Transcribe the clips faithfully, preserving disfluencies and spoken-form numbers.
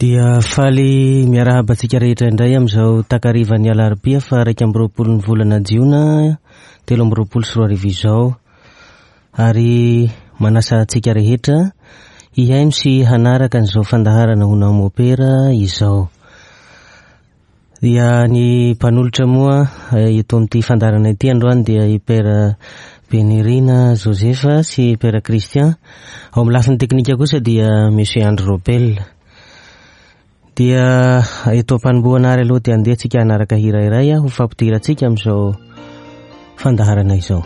Dia faly miarahaba antsika rehetra indray amin'izao takarivan'ny alarobia fa iraika amby roapolo ny volana jiona telo amby roapolo sy roa arivo izao, ary manasa antsika rehetra hihaino sy hanaraka an'izao fandaharana Hono Aho Mopera izao. Dia ny mpanolotra moa eto amin'ity fandaharana ity androany dia i Père Benirina Joseph sy Père Christian. Ao amin'ny lafiny teknika kosa dia Monsieur Andry Robel. Dia eto am-panombohana ary aloha dia andeha tsika hanaraka hira iray ho fampidirantsika amin'izao fandaharana izao.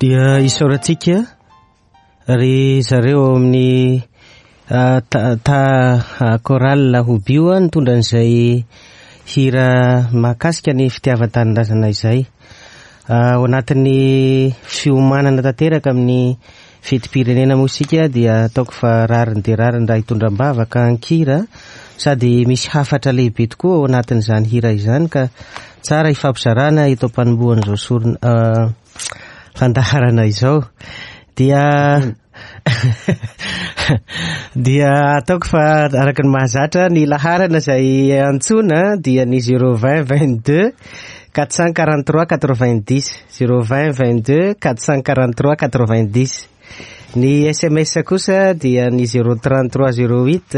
Dia isaorantsika ry zareo amin'ny ta chorale Hobio nitondra an'izay hira mahakasika ny fitiavan-tanindrazana izay. Ao anatin'ny fiomanana tanteraka amin'ny fetim-pirenena moa isika dia ataoko fa rariny dia rariny raha hitondra am-bavaka an-kira, sady misy hafatra lehibe tokoa ao anatin'izany hira izany ka tsara hifampizarana eto am-panombohan'izao sorona fandaharana izao. Dia dia ataoko fa araka ny mahazatra ny laharana izay antsoina dia ny zéro vingt vingt-deux quatre cent quarante-trois quatre-vingt-dix, zéro vingt vingt-deux quatre cent quarante-trois quatre-vingt-dix. Ny S M S kosa dia ny zéro trente-trois zéro huit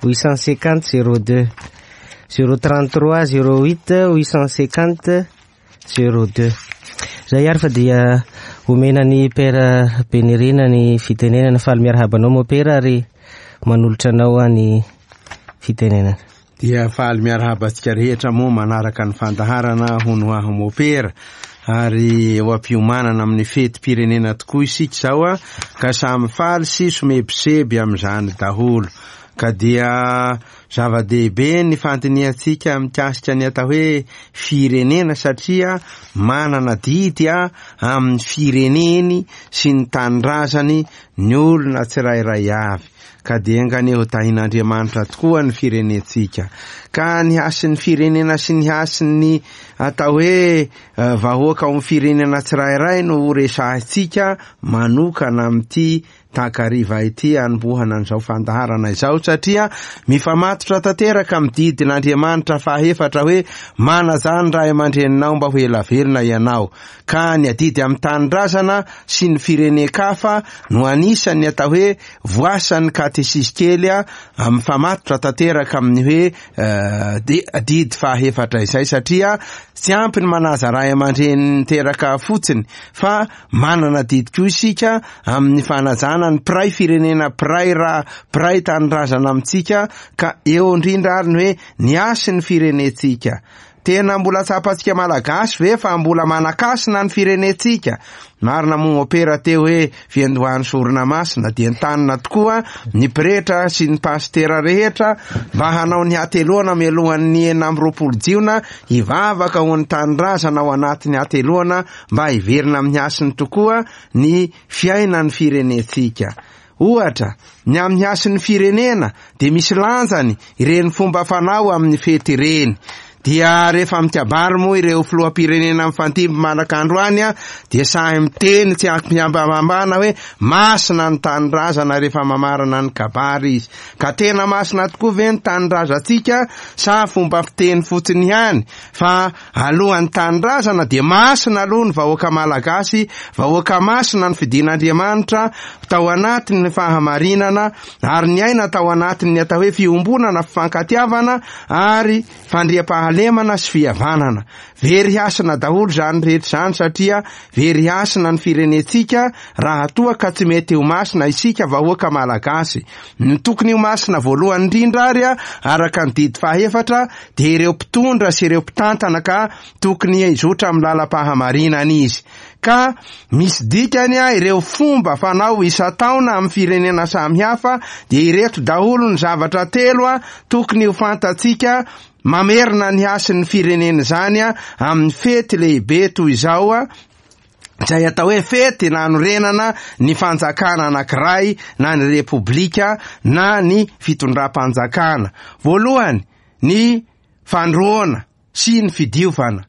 huit cent cinquante zéro deux, zéro trente-trois zéro huit huit cent cinquante zéro deux. Zay ary fa dia omena ny Père Benirina ny fitenenana. Faly miarahaba anao moa Père ary manolotra anao ny fitenenana. Dia faly miarahaba antsika rehetra moa manaraka ny fandaharana Hono Aho Mopera, ary eo am-piomanana amin'ny fetim-pirenena tokoa isika izao a, ka samy faly sy somebiseby amin'izany daholo. Ka dia zava-dehibe ny fandinihantsika mikasika ny atao hoe firenena, satria manana didy a amin'ny fireneny sy ny tanindrazany ny olona tsirairay avy. Ka dia enganie ho tahin'Andriamanitra tokoa ny firenentsika. Ka ny hasin'ny firenena sy ny hasin'ny atao hoe vahoaka ao amin'ny firenena tsirairay no ho resahintsika manokana amin'ity takariva ity hanombohana an'izao fandaharana izao, satria mifamatotra tanteraka amin'ny didin'Andriamanitra fahaefatra hoe manajà ny ray aman-dreninao mba ho ela velona ianao. Ka ny adidy amin'ny tanindrazana sy ny firenen-kafa no anisan'ny atao hoe voasan'ny katesizy kely mifamatotra tanteraka amin'ny hoe didy fahaefatra izay, satria tsy ampy ny manaja ray aman-dreny niteraka fotsiny fa manana didy koa isika amin'ny fanajana ny mpiray firenena, mpiray ra, mpiray tanindrazana amintsika. Ka eo indrindra ary ny hoe ny hasin'ny firenentsika. Tena mbola tsapantsika Malagasy ve fa mbola manakasina ny firenentsika? Marina moa opera teo hoe fiandohan'ny sorona masina, dia entanina tokoa ny pretra sy ny pastera rehetra mba hanao ny hateloana mialohan'ny enina amby roapolo jiona, hivavaka ho an'ny tanindrazana ao anatin'ny hateloana mba hiverina amin'ny hasiny tokoa ny fiainan'ny firenentsika. Ohatra, ny amin'ny hasin'ny firenena dia misy lanjany ireny fomba fanao amin'ny fety ireny. Dia rehefa mikabary moa ireo filoham-pirenena mifandimby manaraka androany dia sahy miteny tsy ampihambahambana hoe masina ny tanindrazana rehefa mamarana ny kabary izy. Ka tena masina tokoa ve ny tanindrazantsika sa fomba fiteny fotsiny ihany? Fa alohan'ny tanindrazana dia masina aloha ny vahoaka malagasy, vahoaka masina ny fidin'Andriamanitra tao anatin'ny fahamarinana ary niaina tao anatin'ny atao hoe fiombonana, fifankatiavana ary fandriampahalemana sy fihavanana. Very hasina daholo izany rehetra izany, satria very hasina ny firenentsika raha toa ka tsy mety ho masina isika vahoaka malagasy. Ny tokony ho masina voalohany indrindra ary araka ny didy fahaefatra dia ireo mpitondra sy ireo mpitantana ka tokony hizotra amin'ny lalam-pahamarinana izy. Ka misy dikany ireo fomba fanao isan-taona amin'ny firenena samihafa, dia ireto daholo ny zavatra telo tokony ho fantatsika mamerina ny hasin'ny firenena izany amin'ny fety lehibe toy izao, izay atao hoe fety nanorenana ny fanjakana anankiray na ny repoblika na ny fitondram-panjakana. Voalohany, ny fandroana sy ny fidiovana.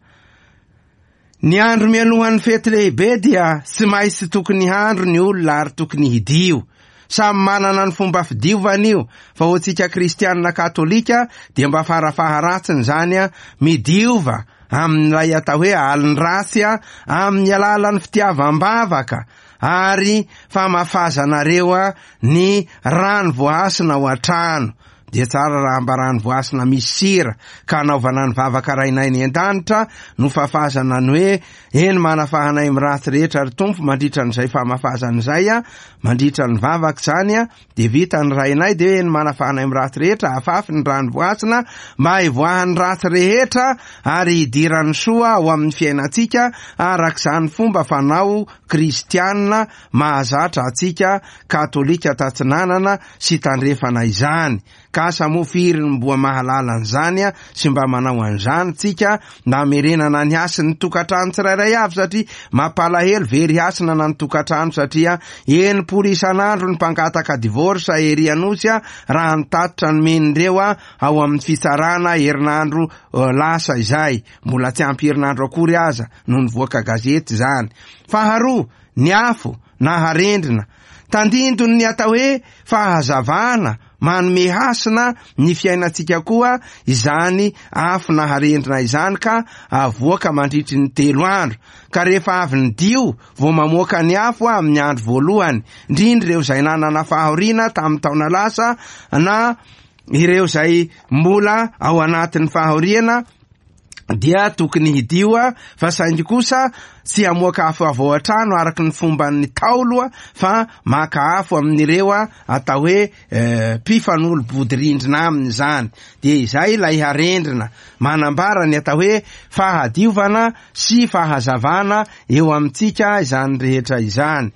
Ny andro mialohan'ny fety lehibe dia tsy maintsy tokony handro ny olona ary tokony hidio. Samy manana ny fomba fidiovana io, fa ho antsika kristianina katolika dia mba farafaharatsiny izany midiova amin'ilay atao hoe alin-dratsy amin'ny alalan'ny fitiavam-bavaka ary famafazanareo ny rano voahasina ao an-trano. Dia tsara raha mba rano voahasina misy sira ka anaovana ny vavaka Rainay any an-danitra no fafazana ny hoe eny manafahanay amin'ny ratsy rehetra ry Tompo. Mandritra an'izay famafazana izay, mandritra ny vavaka izany, dia vita ny Rainay dia hoe eny manafahanay amin'ny ratsy rehetra, afafy ny rano voahasina mba hivoahan'ny ratsy rehetra ary hidiran'ny soa ao amin'ny fiainantsika, araka izany fomba fanao kristianina mahazatra antsika katolika tatsinanana sy tandrefana izany. Ka asa moa firy ny mboa mahalala an'izany sy mba manao an'izany tsika, na amerenana ny hasin'ny tokantrano tsirairay avy, satria mampalahelo very hasina na ny tokantrano, satria enimpolo isan'andro ny mpangataka divorce ery Anosy raha nitatitra ny men'ireo ao amin'ny fitsarana herinandro lasa izay, mbola tsy ampy herinandro akory aza no nivoaka gazety izany. Faharoa, ny afo na harendrina. Tandindon'ny atao hoe fahazavana manome hasina ny fiainantsika koa izany afo na harendrina izany, ka avoaka mandritry ny telo andro. Ka rehefa avy ny dio vao mamoaka ny afo amin'ny andro voalohany, indrindra ireo izay nanana fahoriana tamin'ny taona lasa na ireo izay mbola ao anatin'ny fahoriana dia tokony hidio, fa saingy kosa tsy hamoaka afo avy ao an-trano araka ny fomban'ny Ntaolo, fa maka afo amin'ireo atao hoe mpifanolo-bodirindrina aminy izany. Dia izay ilay harendrina manambara ny atao hoe fahadiovana sy fahazavana eo amintsika izany rehetra izany.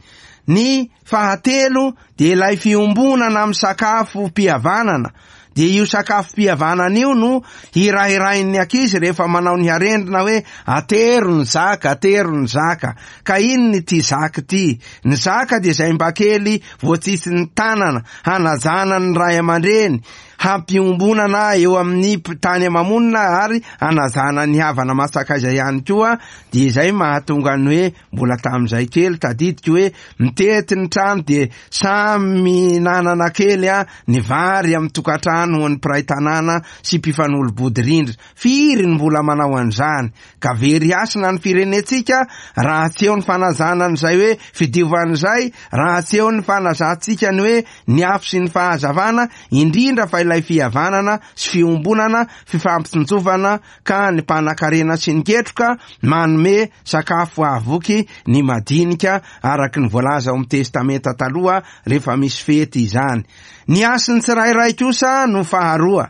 Ny fahatelo dia ilay fiombonana amin'ny sakafo mpihavanana. Dia io sakafo mpihavanana io no hirahirain'ny ankizy rehefa manao ny harendrina hoe atero ny zaka, atero ny zaka. Ka inona ity zaka ity? Ny zaka dia izay mba kely voatsitsin'ny tanana hanajana ny ray aman-dreny hampiombonana eo amin'ny tany ama-monina ary hanajana ny havana masakaiza ihany koa. Dia izay mahatonga ny hoe mbola tamin'izay kely tadidiko hoe mitety ny trano dia samy nanana kely a ny vary amin'ny tokantrano ho an'ny mpiray tanàna sy mpifanolo-bodirindrina. Firy ny mbola manao an'izany? Ka very hasina ny firenentsika raha tsy eo ny fanajana an'izay hoe fidiovan'izay, raha tsy eo ny fanazantsika ny hoe ny afo sy ny fahazavana, indrindra fa ilay fihavanana sy fiombonana, fifampitsinjovana, ka ny mpanan-karena sy ny ketroka manome sakafo hahavoky ny madinika araka ny voalaza ao amin'ny Testamenta Taloha rehefa misy fety izany. Ny hasin'ny tsirairay kosa no faharoa.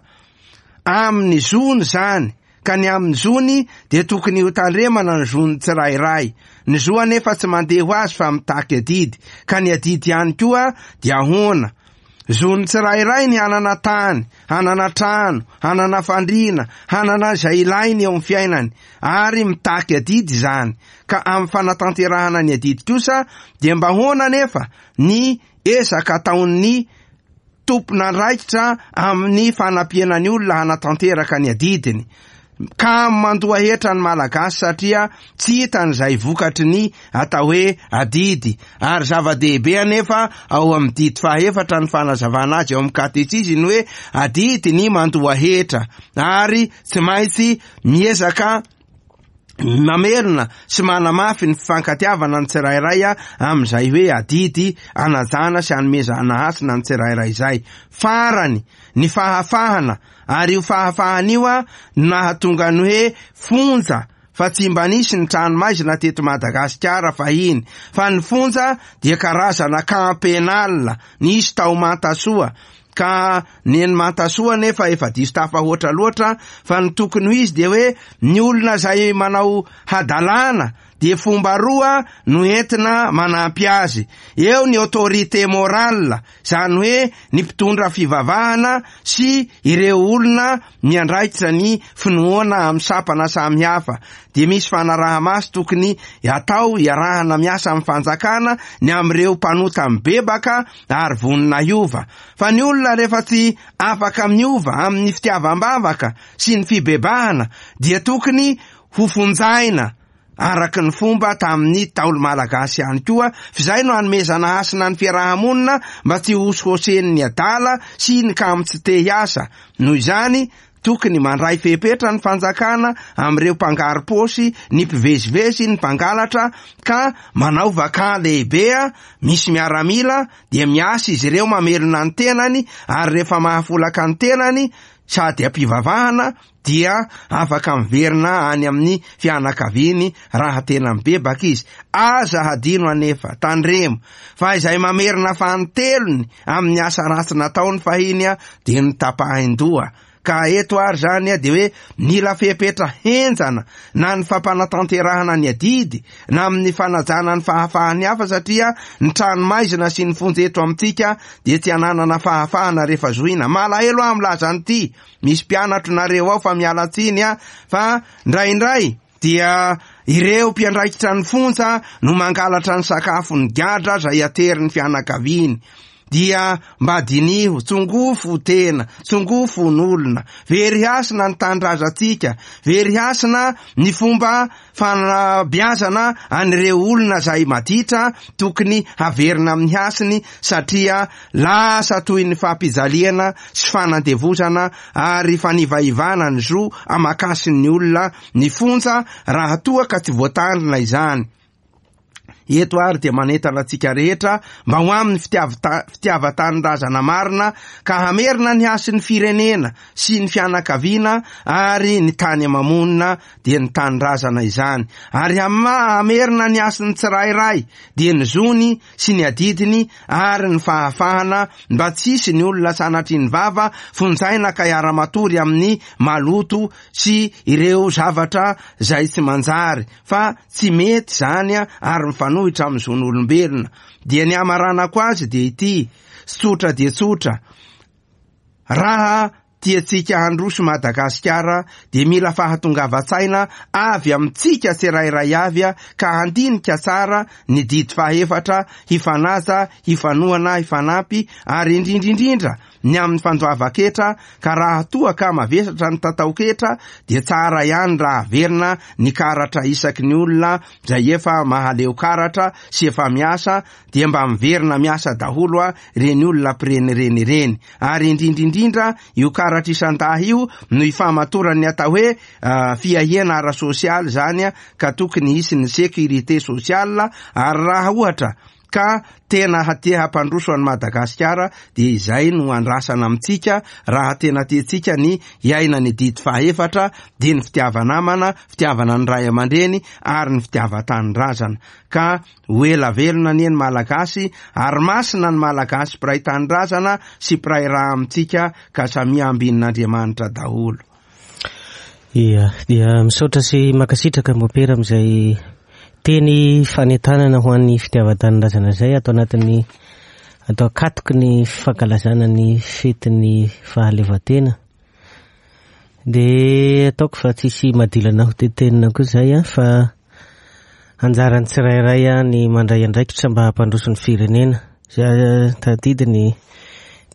Amin'ny zony izany, ka ny amin'ny zony dia tokony hotandremana ny zon'ny tsirairay. Ny zo anefa tsy mandeha ho azy fa mitaky adidy, ka ny adidy ihany koa dia ahoana? Zon'ny tsirairay ny hanana tany, hanana trano, hanana fandriana, hanana izay ilainy eo amin'ny fiainany, ary mitaky adidy izany. Ka amin'ny fanatanterahana ny adidy kosa dia mba ahoana anefa ny ezaka ataon'ny tompon'andraikitra amin'ny fanampiana ny olona hanatanteraka ny adidiny? Ka mandoa hetra ny Malagasy satria tsy hitany izay vokatry ny atao hoe adidy. Ary zava-dehibe anefa ao amin'ny didy fahaefatra ny fanazavana azy ao amin'ny katesizy ny hoe adidy ny mandoa hetra, ary tsy maintsy miezaka mamerina sy manamafy ny fifankatiavana ny tsirairay amin'izay hoe adidy anajana sy anomezana hasina ny tsirairay izay. Farany, ny fahafahana, ary io fahafahana io no nahatonga ny hoe fonja, fa tsy mba nisy ny trano maizina teto Madagasikara fahiny, fa ny fonja dia karazana camp pénal nisy tao Mantasoa. Ka ny eny Mantasoa nefa efa diso tafahoatra loatra, fa ny tokony ho izy dia hoe ny olona izay manao hadalana dia fomba roa no entina manampy azy. Eo ny autorité morale, izany hoe ny mpitondra fivavahana sy ireo olona miandraikitra ny finoana amin'ny sampana samihafa. Dia misy fanaraha-maso tokony atao iarahana miasa amin'ny fanjakana ny amin'ireo mpanota mibebaka ary vonona hiova. Fa ny olona rehefa tsy afaka miova amin'ny fitiavam-bavaka sy ny fibebahana dia tokony hofonjaina araka ny fomba tamin'ny Ntaolo malagasy ihany koa, f'izay no hanomezana hasina ny fiaraha-monina mba tsy hosohosen'ny adala sy ny kamo tsy te hiasa. Noho izany, tokony mandray fepetra ny fanjakana amin'ireo mpangaro-paosy, ny mpivezivezy, ny mpangalatra, ka manao vaka lehibe misy miaramila dia miasa izy ireo mamelona ny tenany, ary rehefa mahafolaka ny tenany sady am-pivavahana dia afaka miverina any amin'ny fianakaviany raha tena mibebaka izy. Aza hadino anefa, tandremo, fa izay mamerina fanintelony amin'ny asa ratsy nataony fahiny dia notapahin-doha. Ka eto ary zany dia hoe mila fepetra henjana na ny fampanatanterahana ny adidy na amin'ny fanajana ny fahafahan'ny hafa, satria ny trano maizina sy ny fonja eto amintsika dia tsy ananana fahafahana rehefa zohina. Malahelo aho milaza an'ity, misy mpianatro nareo ao fa miala tsiny a, fa indraindray dia ireo mpiandraikitra ny fonja no mangalatra ny sakafo ny gadra izay aterin'ny fianakaviany. Dia mba diniho, tsongofo tena, tsongofo n'olona, very hasina ny tanindrazantsika, very hasina ny fomba fanabeazana an'ireo olona izay maditra, tokony haverina amin'ny hasiny, satria lasa toy ny fampijaliana sy fanandevozana ary fanivaivana ny zo aman-kasin'ny olona ny fonja raha toa ka tsy voatandrina izany. Eto ary dia manentana antsika rehetra mba ho amin'ny fitiavata-, fitiavan-tanindrazana marina ka hamerina ny hasin'ny firenena sy ny fianakaviana ary ny tany ama-monina dia ny tanindrazana izany, ary hama-, hamerina ny hasin'ny tsirairay dia ny zony sy ny adidiny ary ny fahafahana mba tsy hisy ny olona sanatria ny vava fonjaina ka hiara-matory amin'ny maloto sy ireo zavatra izay tsy manjary, fa tsy mety izany ary mifanohitra amin'ny zon'olombelona. Dia ny hamaranako azy dia ity, tsotra dia tsotra, raha tiantsika handroso Madagasikara dia mila fahatongavan-tsaina avy amintsika tsirairay avy a, ka handinika tsara ny didy fahefatra, hifanaja, hifanohana, hifanampy, ary indrindrindrindra ny amin'ny fandoavan-ketra. Ka raha toa ka mavesatra ny tataoketra dia tsara ihany raha averina ny karatra isaky ny olona izay efa mahaleo karatra sy efa miasa, dia mba miverina miasa daholo a reny olona mpirenireny ireny. Ary indrindrindrindra io karatra isan-dahy io no ifamatoran'ny atao hoe fiahiana ara-sosialy zany a, ka tokony hisy ny sécurité sociale. Ary raha ohatra ka tena te hampandroso an'i Madagasikara dia izay no andrasana amintsika. Raha tena tiantsika ny hiaina ny didy fahefatra dia ny fitiava-namana, fitiavana ny ray aman-dreny ary ny fitiavan-tanindrazana. Ka ho ela velona anie ny Malagasy, ary masina ny Malagasy mpiray tanindrazana sy mpiray raha amintsika, ka samia ambinin'Andriamanitra daholo. Ia, dia misaotra sy mankasitraka mopera amin'izay teny fanentanana ho an'ny fitiavan-tanindrazana izay atao anatin'ny atao akatoky ny fankalazana ny fetin'ny fahaleovantena. Dia ataoko fa tsisy madilana ho tetenina koa izay a, fa anjaran'ny tsirairay a ny mandray andraikitra mba hampandroso ny firenena. Zay tadidy ny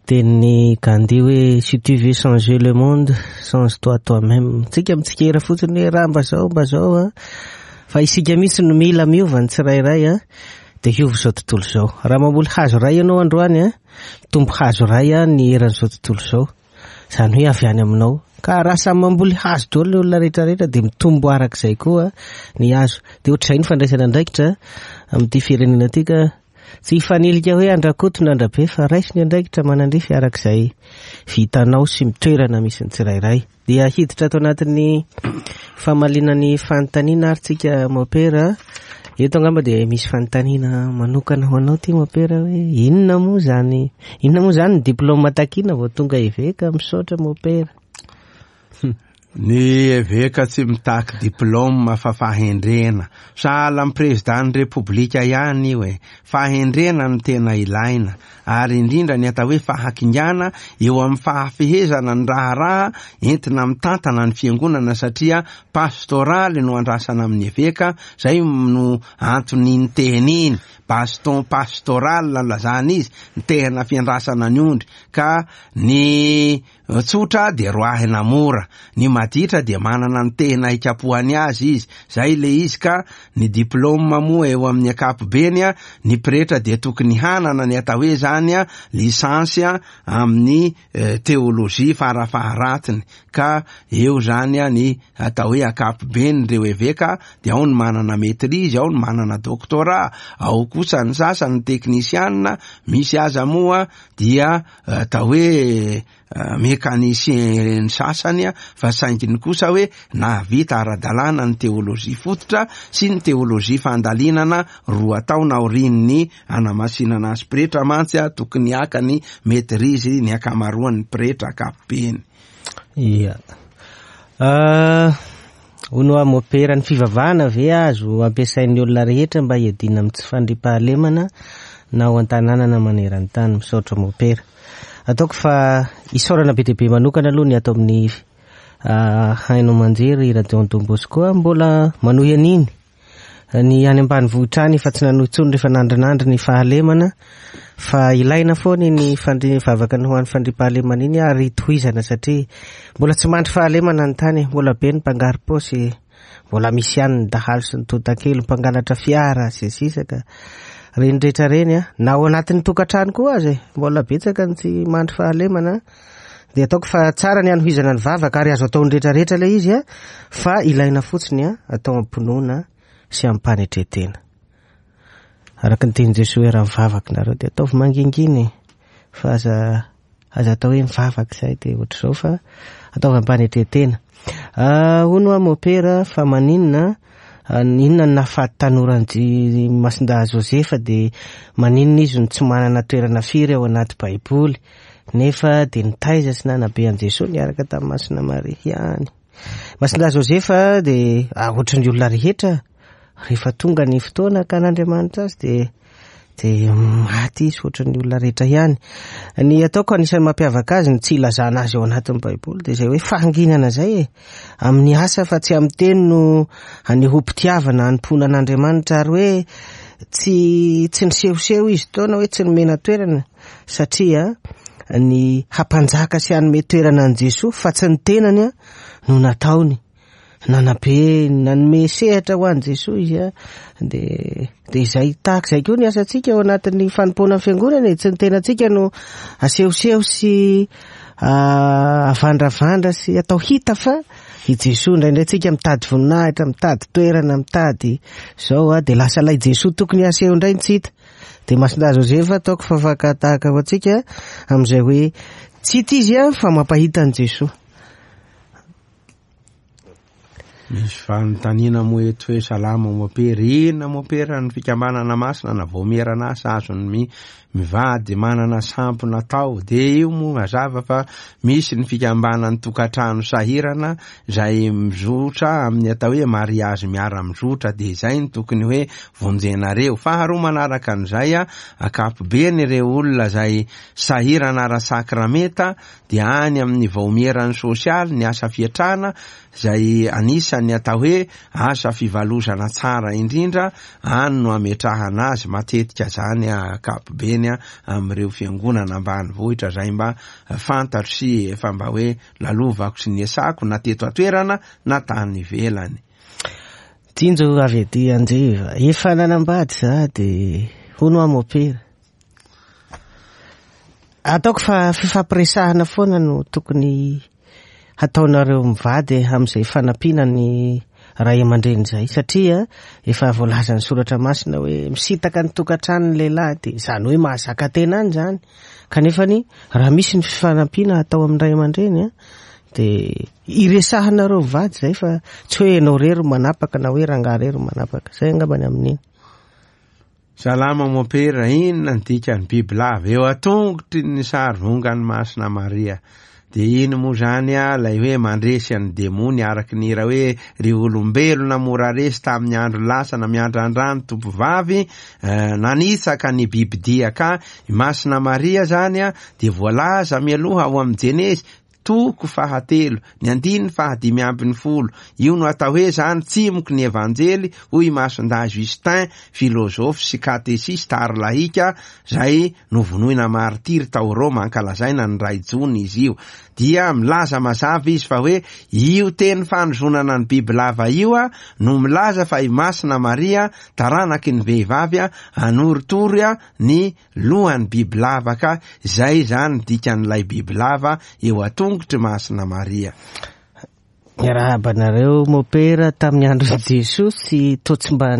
tenin'ny Gandhi hoe si tu veux changer le monde, change-toi toi-même. Tsika mitsikera fotsiny hoe raha mba zao mba zao a, fa isika mihitsy no mila miova ny tsirairay a, dia hiova izao tontolo izao. Raha mamboly hazo iray ianao androany a, mitombo hazo iray a ny eran'izao tontolo izao, izany hoe avy any aminao. Ka raha samy mamboly hazo daholo ny olona rehetrarehetra dia mitombo arak'izay koa ny hazo. Dia ohatr'izay ny fandraisana andraikitra amin'ity firenena ity, ka tsy hifanilika hoe andrakoto na andrabe, fa raiso ny andraikitra manandrify arak'izay vitanao sy mitoerana misy ny tsirairay. Dia hiditra ato anatin'ny famaliana ny fanontaniana ary tsika mopera. Eto angamba dia misy fanontaniana manokana ho anao ty mopera hoe inona moa zany, inona moa zany ny diplôme takina vao tonga eveka? Misaotra mopera. Ny eveka tsy mitaky diplôme fa fahendrena. Sahala amin'ny président Repoblika ihany io e. Fahendrena no tena ilaina, ary indrindra ny atao hoe fahakingana eo amin'ny fahafehezana ny raharaha entina mitantana ny fiangonana, satria pastoraly no andrasana amin'ny eveka. Zay no antony ny teny iny, baston pastoral lazana izy, ny tehana fiandrasana ny ondry. Ka ny tsotra dia roahina mora, ny maditra dia manana ny tehina hikapohany azy izy. Zay le izy. Ka ny diplôme moa eo amin'ny ankapobeny a, ny pretra dia tokony hanana ny atao hoe zany a licence a amin'ny teolojia farafaharatsiny. Ka eo zany a ny atao hoe ankapobeny reo eveka, dia ao ny manana maîtrise, ao ny manana doctorat, ao kosa ny sasany teknisianina, misy aza moa dia atao hoe mécanicien ny sasany a, fa sainginy kosa hoe nahavita ara-dalàna ny teolojia fototra sy ny teolojia fandalinana roa taona aorian'ny anamasinana azy pretra. Mantsy a tokony haka ny maîtrise ny ankamaroan'ny pretra ankapobeny. Ia. Hono mopera, ny fivavahana ve azo ampiasain'ny olona rehetra mba hiadiana amin'ny tsy fandriampahalemana na ao an-tanàna na maneran-tany? Misaotra mopera. Ataoko fa isaorana be dia be manokana aloha ny ato amin'ny haino aman-jery Radio Don Bosco mbola manohy an'iny ny any ambanivohitra any, fa tsy nanohy intsony rehefa nandrinandry ny fahalemana, fa ilaina foana ny fandri vavaka ny ho an'ny fandriampahalemana iny ary tohizana, satria mbola tsy mandry fahalemana ny tany, mbola be ny mpangaro-paosy, mbola misy ihany ny dahalo sy ny tontakely, mpangalatra fiara sy sisa. Ka reny rehetra reny a, na ao anatin'ny tokantrano koa aza e, mbola betsaka ny tsy mandry fahalemana. Dia ataoko fa tsara ny hanohizana ny vavaka, ary azo ataon'ny rehetrarehetra ilay izy a, fa ilaina fotsiny a atao am-pinoana sy am-panetretena. Araka ny tenin'i Jesoa hoe raha mivavaka nareo dia ataovy mangingina e, fa aza aza atao hoe mivavaka izay dia ohatr'izao, fa ataovy am-panetretena. Hono aho mopera, fa maninona inona ny nahafaty tanoran'i Masindahy Josefa, dia maninona izy no tsy manana toerana firy ao anaty Baiboly, nefa dia nitaiza sy nanabe an'i Jesoa niaraka tamin'i Masina Maria ihany. Masindahy Josefa dia ohatran'ny olona rehetra, rehefa tonga ny fotoana ka an'Andriamanitra azy dia De maty izy ohatran'ny olona rehetra ihany. Ny ataoko anisan'ny mampiavaka azy, ny tsy ilazana azy ao anatin'ny Baiboly, de zay hoe fahanginana zay e. Amin'ny asa fa tsy amin'ny teny no anehoam-pitiavana hanompoana an'Andriamanitra, ary hoe tsy tsy nisehoseho izy taona, hoe tsy nomena toerana, satria ny hampanjaka sy hanome toerana an'i Jesoa fa tsy ny tenany a no nataony. Nanabe, nanome sehatra ho an'i Jesoa izy a, de de izay tahaka izay koa ny asantsika ao anatin'ny fanompoana ny fiangonana e. Tsy ny tenantsika no asehoseho sy avandravandra sy atao hita fa i Jesoa. Indraindray tsika mitady voninahitra, mitady toerana, mitady zao a, de lasa ilay Jesoa tokony aseho indray ny tsy hita. De Masindahy Joseph ataoko fa fakan-tahaka ho antsika amin'izay hoe tsy hita izy a fa mampahita an'i Jesoa. Misy fanontaniana moa eto hoe salama mopera, inona mopera ny fikambanana masina na vaomierana asa azony mivady manana sampona tao? De io moa mazava fa misy ny fikambanan'ny tokantrano sahirana zay mizotra amin'ny atao hoe mariazy miara-mizotra, de izay ny tokony hoe vonjenareo. Faharoa manaraka an'izay a, ankapobeny ireo olona zay sahirana ara-sakramenta de any amin'ny vaomieran'ny sosialy ny asa fiatrana zay anisan'ny atao hoe asa fivalozana tsara indrindra, any no ametrahana azy matetika zany ankapobeny amin'ireo fiangonana ambanivohitra zay mba fantatro sy efa mba hoe lalovako sy niasako na teto an-toerana na tany ivelany. Jinjo avy aty Anjeva, efa nanambady za de hono aho mopera. Ataoko fa fifampiresahana foana no tokony hataonareo mivady amin'izay fanampiana ny ray aman-dreny zay, satria efa voalazan'ny soratra masina hoe misintaka ny tokantrano ny lehilahy, de zany hoe mahazaka tena any zany. Kanefany raha misy ny fifanampiana atao amin'ny ray aman-dreny a, de iresahanareo mivady zay, fa tsy hoe ianao rery manapaka na hoe rangahy rery manapaka. Zay angambany amin'iny. Salama mopera, inona ny dikan'ny bibilava eo atongotry ny sary vongan'ny Masina Maria? De iny moa zany a lay hoe mandresy an'ny demony, araky ny hira hoe ry olombelona mora resy tamin'ny andro lasa na miandrandrano tompovavy nanitsaka ny bibidia. Ka i Masina Maria zany a de voalaza mialoha ao amin'ny Jenezy toko fahatelo ny andininy fahadimy ambin'ny folo. Io no atao hoe zany tsimoky ny evanjely, hoy Masindahy Justin, filôzôfy sy katesista ary lahika zay novonoina martiry tao Roma, ankalazaina ny ray jona izy io. Dia milaza mazava izy fa hoe io teny fanozonana ny bibilava io a no milaza fa i Masina Maria taranaky ny vehivavy a anoritory a ny lohan'ny bibilava, ka zay zany dikan'ilay bibilava eo atongotry Masina Maria. Miarahaba anareo mopera, tamin'ny andron'i Jesoa sy toa tsy mba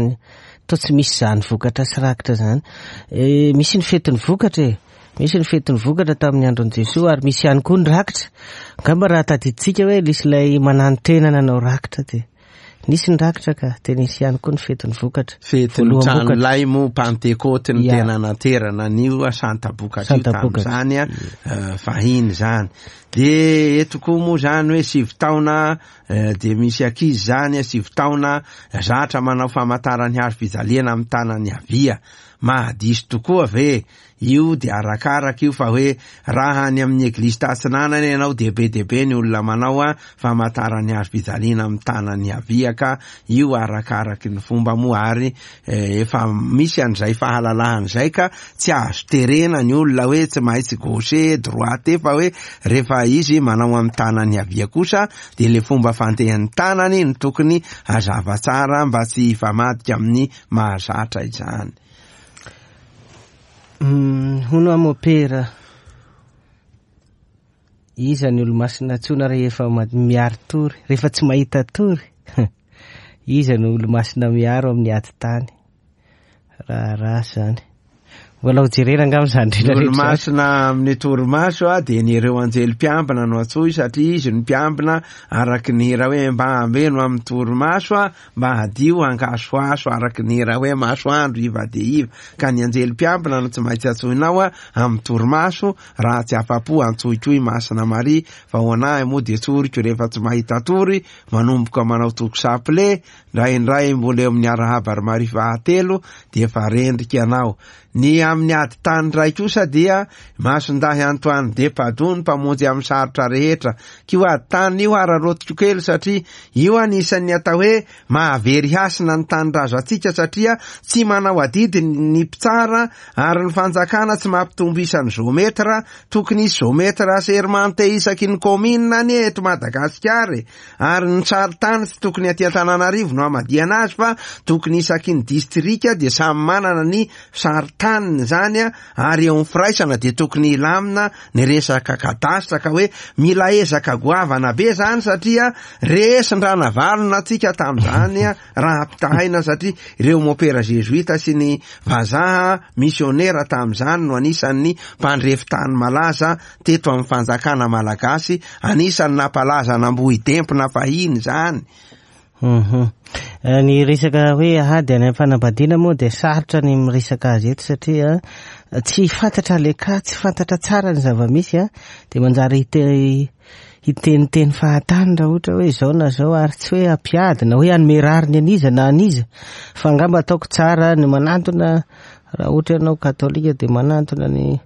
toa tsy misy zany vokatra sy rakitra zany. E, misy ny fetin'ny vokatra e. Misy ny fetin'ny vokatra tamin'ny andron'i Jesoa, ary misy ihany koa ny rakitra. Angamba raha tadidintsika hoe nisy ilay mananotena nanao rakitra, de nisy ny rakitra ka de nisy ihany koa ny fetin'ny vokatra. Fetin'ny tranolay moa Pantekoty ny tena naterana an'io Santa-bokatra io tamin'izany a fahiny zany. De eto koa moa zany hoe sivy taona de misy ankizy zany sivy taona zatra manao famantaran'ny hazo fijaliana amin'ny tanany havia. Mahadiso tokoa ve io? De arakaraka io fa hoe raha any amin'ny eglizy tatsinanana ianao de be de be ny olona manao a famantaran'ny hazo fijaliana amin'ny tanany havia, ka io arakaraky ny fomba moa, ary efa misy an'izay fahalalahana izay ka tsy azo terena ny olona hoe tsy maintsy gauche droite, fa hoe rehefa izy manao amin'ny tanany havia kosa de le fomba fandehan'ny tanany no tokony hazava tsara mba tsy hifamadika amin'ny mahazatra izany. Hono aho mopera, iza ny olo-masina antsoina rehefa miaro tory, rehefa tsy mahita tory? Iza no olo-masina miaro amin'ny ady tany? Raharaha zany. Mbola ho jerena angamba izany rehetra rehetra. Olomasina amin'ny torimaso a dia ny ireo anjely mpiambina no antsoy satria izy no mpiambina araky ny hira hoe mba ambeno amin'ny torimaso a, mba hadio hangasoaso araky ny hira hoe masoandro iva dia iva. Ka ny anjely mpiambina no tsy maintsy antsoinao a amin'ny torimaso, raha tsy afa-po antsoy koa i Masina Maria, fa ho anahy moa dia tsoriko rehefa tsy mahita tory, manomboka manao toko saple, indraindray mbola eo amin'ny arahaba ry Maria fahatelo dia efa rendrika ianao. Ny amin'ny ady tany iray kosa dia Masindahy Antoine de Padoue ny mpamonjy amin'ny sarotra rehetra. K'io ady tany io araraotiko kely satria io anisan'ny atao hoe mahavery hasina ny tanindrazantsika satria tsy manao adidy ny mpitsara ary ny fanjakana tsy mampitombo isan'ny géomètre. Tokony hisy géomètre assermenté isaky ny commune anie eto Madagasikara e. Ary ny sarintany tsy tokony aty Antananarivo no hamadihana azy fa tokony isaky ny distrika dia samy manana ny sarintany zany a, ary eo amin'ny firaisana dia tokony hilamina ny resaka kadastra, ka hoe mila ezaka goavana be zany satria resin-dranavalona antsika tamin'izany a, raha ampitahaina satria ireo mopera jesuita sy ny vazaha misionera tamin'izany no anisan'ny mpandrefy tany malaza teto amin'ny fanjakana malagasy, anisan'ny nampalaza an'Ambohidempona fahiny zany. Mhm. Ny resaka hoe ady any amin'ny fanambadiana moa dia sarotra ny miresaka azy eto satria tsy fantatra le ka, tsy fantatra tsara ny zava-misy a, dia manjary hite-, hiteniteny fahatany raha ohatra hoe izao na izao, ary tsy hoe hampiady na hoe hanome rariny an'iza na an'iza, fa angamba ataoko tsara ny manantona, raha ohatra ianao katolika dia manantona ny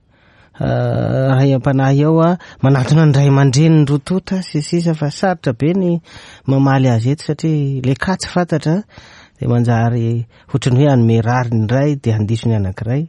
ray am-panahy ao a, manantona ny ray aman-dreniny roa tonta sy sisa, fa sarotra be ny mamaly azy eto satria le ka tsy fantatra dia manjary ohatran'ny hoe hanome rariny iray dia handiso ny anankiray.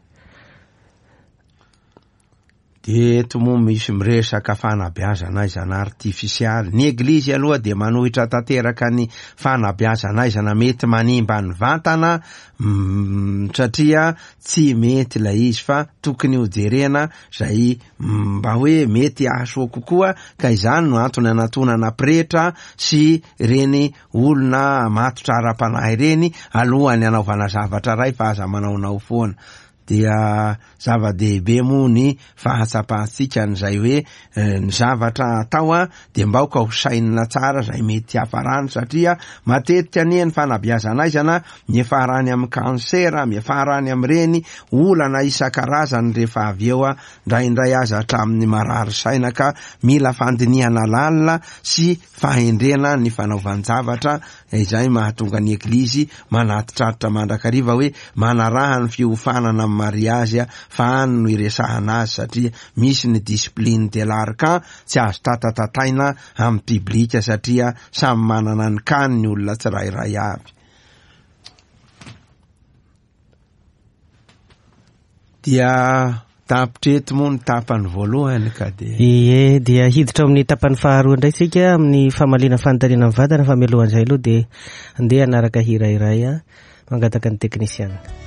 Dia eto moa misy miresaka fanabeazana aizana artifisialy. Ny eglizy aloha dia manohitra tanteraka ny fanabeazana aizana mety manimba ny vatana, mm, satria tsy mety ilay izy fa tokony hojerena izay mba hoe mety hahasoa kokoa, ka izany no antony anatonana pretra sy ireny olona matotra ara-panahy ireny alohan'ny hanaovana zavatra iray fa aza manaonao foana. Dia zava-dehibe moa ny fahatsapantsika an'izay hoe, eh, ny zavatra atao a dia mba aoka ho sainina tsara izay mety hiafarany, satria matetika anie ny fanabeazana aizana miafarany amin'ny kansera, miafarany amin'ireny olana isan-karazany rehefa avy eo a, indraindray aza hatramin'ny marary saina, ka mila fandinihana lalina sy fahendrena ny fanaovan-javatra izay mahatonga ny eglizy manatitraritra mandrakariva hoe manaraha ny fiofanana amin'ny mariazy a, fa any no iresahana azy satria misy ny discipline de l'arcan tsy azo tatatataina amin'ny publika satria samy manana ny kany ny olona tsirairay avy. Dia tapitra eto moa ny tapany voalohany ka dia Ie, dia hiditra amin'ny tapany faharoa indray isika amin'ny famaliana fanontaniana mivantana, fa mialohan'izay aloha dia andeha hanaraka hira iray a, mangataka ny teknisiana.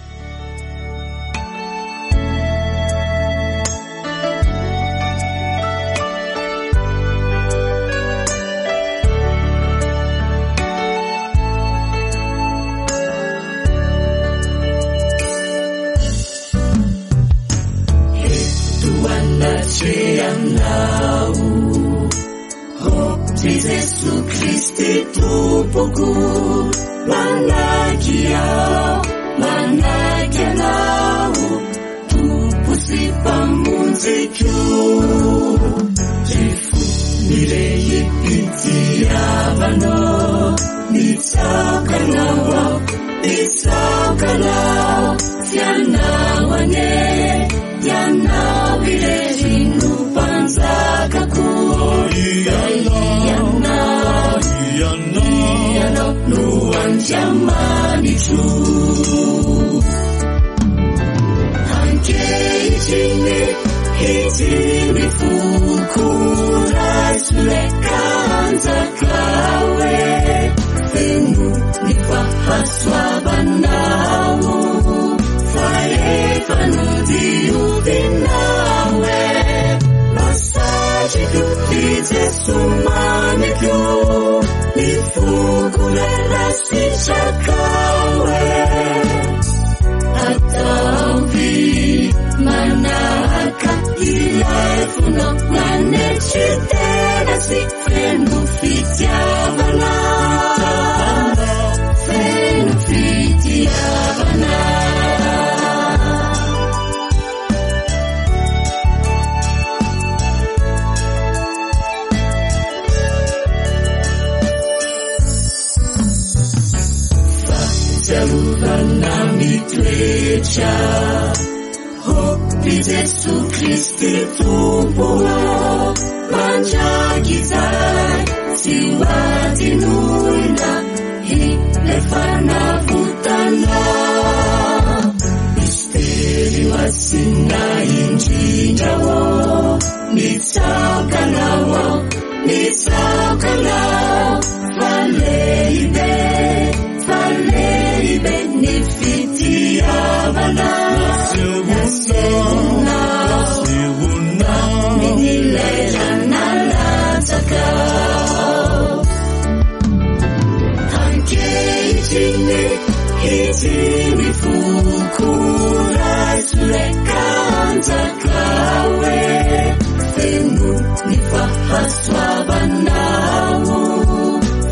Atavi Fiarovana mitoetra Hoy Jesu Kristy Tompo mandrakizay tsy ho adinoina ilay fanavotana Mistery masina indrindra ô mitsaoka anao aho mitsaoka anao fa lehibe fa lehibe ny fitiavana nasehonao tamin'ilay rà nalatsaka Ankehitriny izy ny foko raiso reka anjaka hoe feno ny fahasoavanao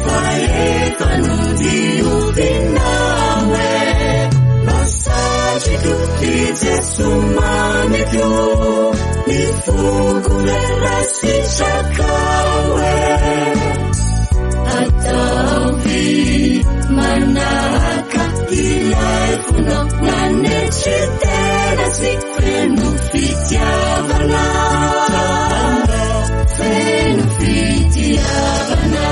fa efa nodiovinao hoe masatriko i Jesu mamiko ny foko ray sitraka hoe ataovy manahaka ilay fonao nanetry tena sy feno fitiavana feno fitiavana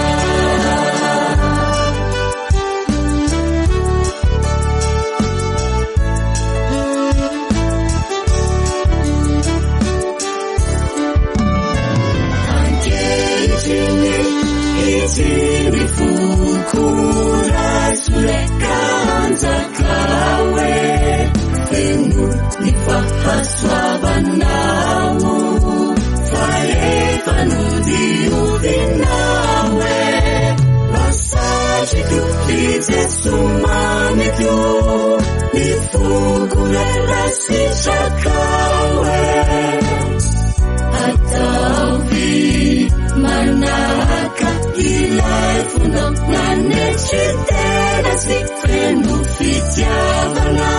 Ankehitriny izy ny foko raiso reka anjaka hoe feno ny fahasoavanao fa efa nodiovinao hoe masatriko i Jesu mamiko ny foko ray sitraka hoe ataovy manahaka ilay fonao nanetry tena sy feno fitiavana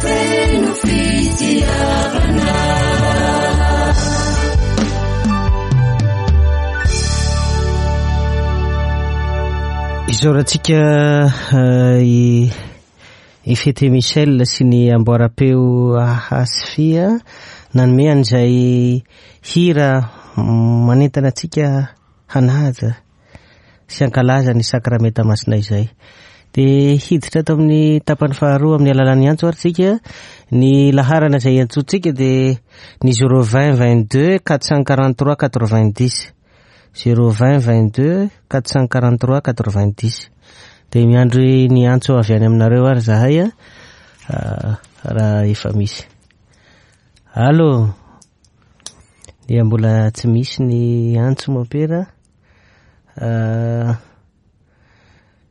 feno fitiavana Isaorantsika i i Fety Michel sy ny amboara-peo Ahasfia nanome an'izay hira manentana antsika hanaja sy hankalaza ny sakramenta masina izay. Dia hiditra ato amin'ny tapany faharoa amin'ny alalan'ny antso ary tsika. Ny laharana izay antsointsika dia ny zéro vingt vingt-deux quatre cent quarante-trois quatre-vingt-dix zéro vingt vingt-deux quatre cent quarante-trois quatre-vingt-dix. Dia miandry ny antso avy any aminareo ary zahay a raha efa misy. Allô, dia mbola tsy misy ny antso mompera.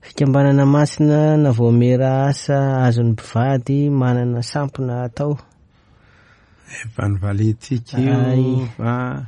Fikambanana masina na voamera asa azon'ny mpivady manana sampona atao. Efa nivalintsika io fa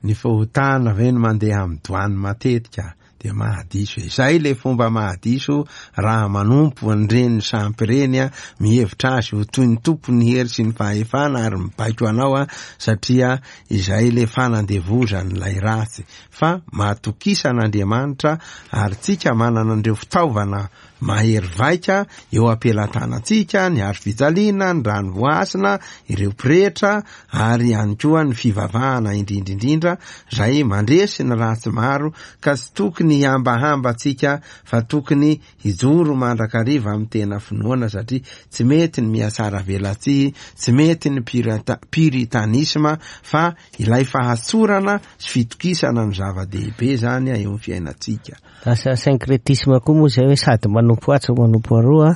ny fahotana ve no mandeha amin'ny doany matetika dia mahadiso. Izay le fomba mahadiso raha manompo an'ireny sampy ireny a, mihevitra azy ho toy ny tompon'ny hery sy ny fahefana ary mibaiko anao a, satria izay le fanandevozan'ilay ratsy. Fa matokisa an'Andriamanitra ary tsika manana an'ireo fitaovana mahery vaika eo am-pelatanantsika, ny hazo fijaliana, ny rano voasina, ireo pretra ary ihany koa ny fivavahana indrindra indrindra izay mandresy ny ratsy maro, ka tsy tokony hihambahamba tsika fa tokony hijoro mandrakariva amin'ny tena finoana, satria tsy mety ny mihatsara velatsihy, tsy mety ny pirata-, puritanisme, fa ilay fahatsorana sy fitokisana no zava-dehibe zany eo amin'ny fiainantsika. Lasa syncrétisme koa moa izay hoe sady manompo atsy manompo aroa,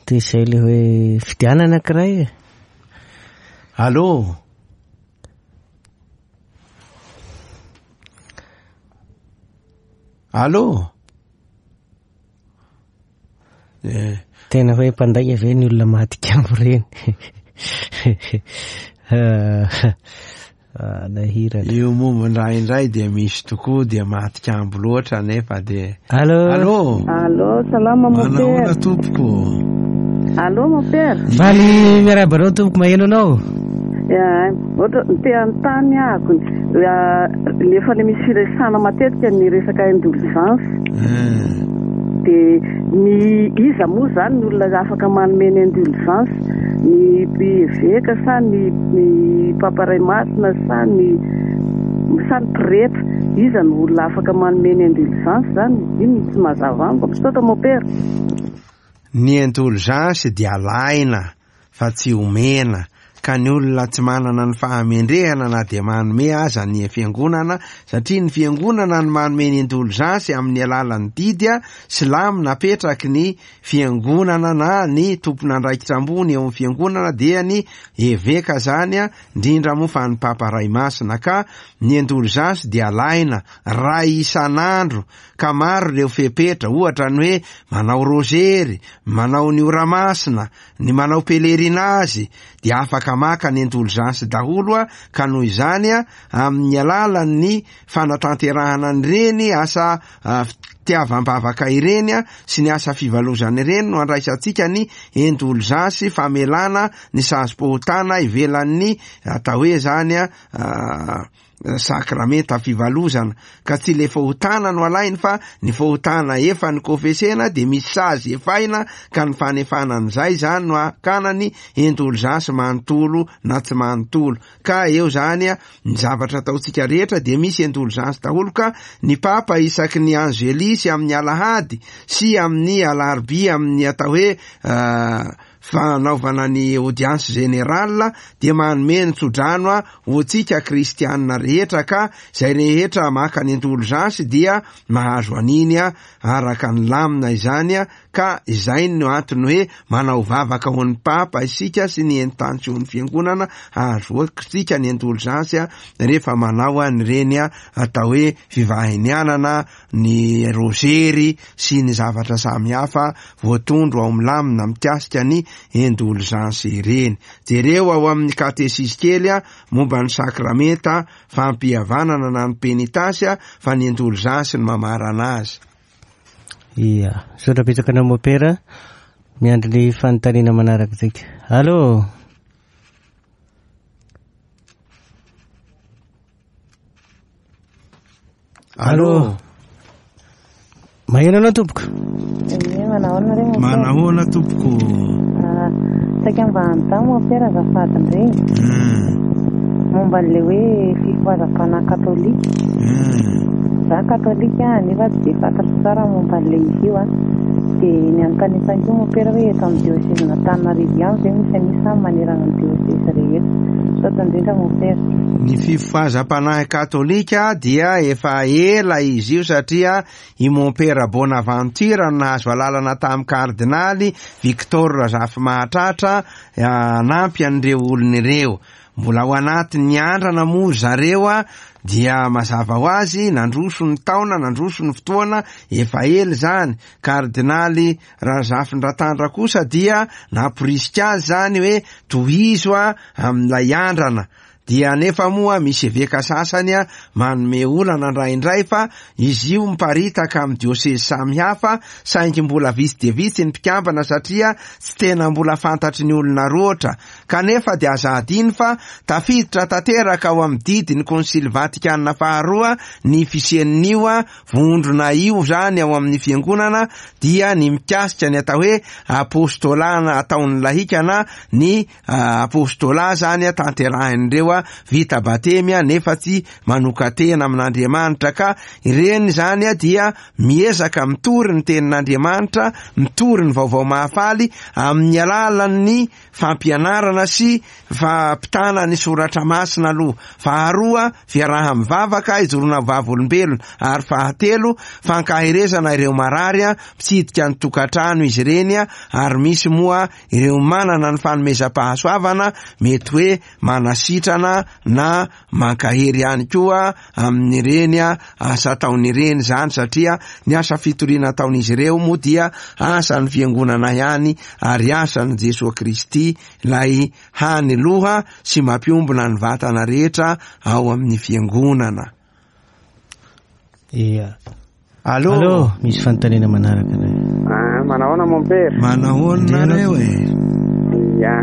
dia izay le hoe fidianana anankiray. Allô? Allô? Eh. Tena hoe mpandainga ve ny olona maty kambo ireny? Nahirana. Io momba indraindray dia misy tokoa dia maty kambo loatra nefa dia Allô? Allô? Allô, salama mon père. Manahoana tompoko? Allô mon père. Faly miarahaba anao tompoko, maheno anao? Ya, ohatra te hanontany ahako, ya, efa le misy firesahana matetika ny resaka indulgence. Hmm. Dia ny iza moa zany ny olona afaka manome ny indulgence, ny eveka sa ny ny papa ray masina sa ny sa ny pretra? Iza no olona afaka manome ny indulgence zany? Iny no tsy mazava amiko. Misaotra mopera. Ny indulgence dia alaina fa tsy omena, ka ny olona tsy manana ny fahamendrehana na dia manome aza ny fiangonana, satria ny fiangonana no manome ny indulgence amin'ny alalan'ny didy sy lamina apetraky ny fiangonana na ny tompon'andraikitra ambony eo amin'ny fiangonana, dia ny eveka zany a, indrindra moa fa ny papa ray masina. Ka ny indulgence dia alaina ray isan'andro, ka maro ireo fepetra, ohatra ny hoe manao rozery, manao ny ora masina, ny manao pèlerinage, dia afaka maka ny indulgence daholo a. Ka noho izany a, amin'ny alalan'ny fanatanterahana an'ireny asa fitiavam-bavaka ireny a, sy ny asa fivalozana ireny no andraisantsika ny indulgence, famelana ny sazim-pahotana ivelan'ny atao hoe zany a, sakramenta fivalozana. Ka tsy le fahotana no alainy fa ny fahotana efa ny kofesena dia misy sazy efaina, ka ny fanefana an'izay zany no hakana ny indulgence manontolo na tsy manontolo. Ka eo zany a, ny zavatra ataontsika rehetra dia misy indulgence daholo. Ka ny papa isaky ny angelisy amin'ny alahady sy amin'ny alarobia amin'ny atao hoe fanaovana ny audience générale dia manome ny tsodrano a ho antsika kristianina rehetra, ka izay rehetra maka ny indulgence dia mahazo an'iny a araka ny lamina izany a. Ka izay no antony hoe manao vavaka ho an'ny papa isika sy ny intention-n'ny fiangonana hahazoantsika ny indulgence a rehefa manao an'ireny a atao hoe fivahinianana, ny rozery sy ny zavatra samihafa voatondro ao amin'ny lamina mikasika ny indulgence ireny. Jereo ao amin'ny katesisy kely a momba ny sakramenta fampihavanana na ny penitasy a, fa ny indulgence no mamarana azy. Ia, misaotra betsaka anao mopera. Miandry ny fanontaniana manaraka isika. Allô? Allô? Maheno anao tompoko? Ie, manahoana re mopera? Manahoana tompoko? Ah, saika mba hanontany mopera azafady indray. Hmm. Momba an'ilay hoe fifohazam-panahy katolika. Hmm. Za katolika nefa tsy dia fantatro tsara momba an'ilay izy io a. Dia ny anontaniana koa mopera hoe eto amin'ny diôsezan'Antananarivo ihany ve misy an'io sa manerana ny diôsezy rehetra? Misaotra indrindra mopera. Ny fifohazam-panahy katolika dia efa ela izy io, satria i Mompera Bonaventure no nahazo alalana tamin'ny kardinaly Victor Razafimahatratra hanampy an'ireo olona ireo. Mbola ao anatin'ny andrana moa zareo a, dia mazava ho azy nandroso ny taona, nandroso ny fotoana, efa ela izany. Kardinaly Razafindratandra kosa dia namporisika azy zany hoe tohizo a amin'ilay andrana. Dia nefa moa misy eveka sasany a manome olana indraindray fa izy io miparitaka amin'ny diôsezy samihafa, saingy mbola vitsy dia vitsy ny mpikambana satria tsy tena mbola fantatry ny olona roatra. Kanefa dia aza adino fa tafiditra tanteraka ao amin'ny didy ny Konsily Vatikana faharoa ny fisian'io a vondrona io zany ao amin'ny fiangonana, dia ny mikasika ny atao hoe apostolana ataon'ny lahika na ny apostola zany a tanterahin'ireo a vita batemy a nefa tsy manoka-tena amin'Andriamanitra. Ka ireny zany a dia miezaka mitory ny tenin'Andriamanitra, mitory ny vaovao mahafaly amin'ny alalan'ny fampianarana sy fampitana ny soratra masina aloha. Faharoa, fiaraha-mivavaka ijoroana vavolombelona, ary fahatelo, fankaherezana ireo marary a, mitsidika ny tokantrano izy ireny a, ary misy moa ireo manana ny fanomezam-pahasoavana mety hoe manasitrana na mankahery ihany koa amin'ireny a asa ataon'ireny zany, satria ny asa fitoriana ataon'izy ireo moa dia asan'ny fiangonana ihany ary asan'i Jesoa Kristy ilay hany loha sy mampiombona ny vatana rehetra ao amin'ny fiangonana. Ia. Allô? Allô, misy fanontaniana manaraka indray. Ah, manahoana mon père? Manahoana nareo e? Ia.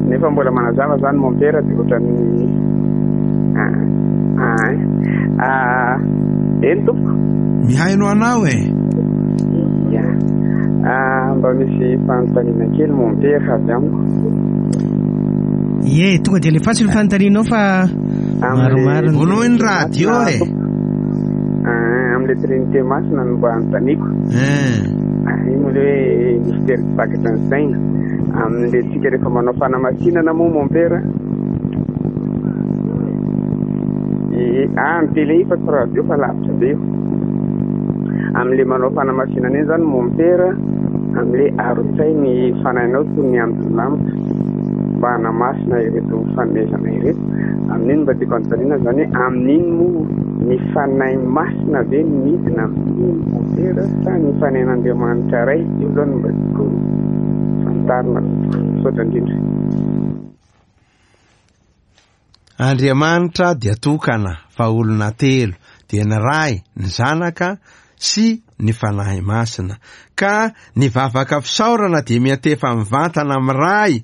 Nefa mbola manazava zany mon père dia ohatran'ny ah, ah, ah, eny tompoko. Mihaino anao e? Ah, mba misy fanontaniana kely mompera avy amiko. Ie, tonga dia alefaso ny fanontanianao fa maromaro ny- Vonoy ny radio e. Ah, amin'ilay Trinité Masina no mba anontaniako. Eh. Ah, iny le hoe mystère tsy takatry ny saina. Amin'ilay tsika rehefa manao fanamasinana moa mompera. Eh, ah, ny télé fa tsy radio fa lavitra be io. Amin'ilay manao fanamasinana iny zany mompera, amin'ilay arotsay ny fanahinao toy ny andon'ny lanitra mba hanamasina ireto fanomezana ireto. Amin'iny mba tiako anontaniana zany hoe amin'iny moa ny fanahy masina ve no midina amin'iny mompera sa ny fanahin'Andriamanitra Ray? Io zany mba tiako fantarina. Misaotra indrindra. Andriamanitra dia tokana fa olona telo, dia ny Ray, ny Zanaka sy ny Fanahy Masina. Ka ny vavaka fisaorana dia miantefa mivantana amin'ny Ray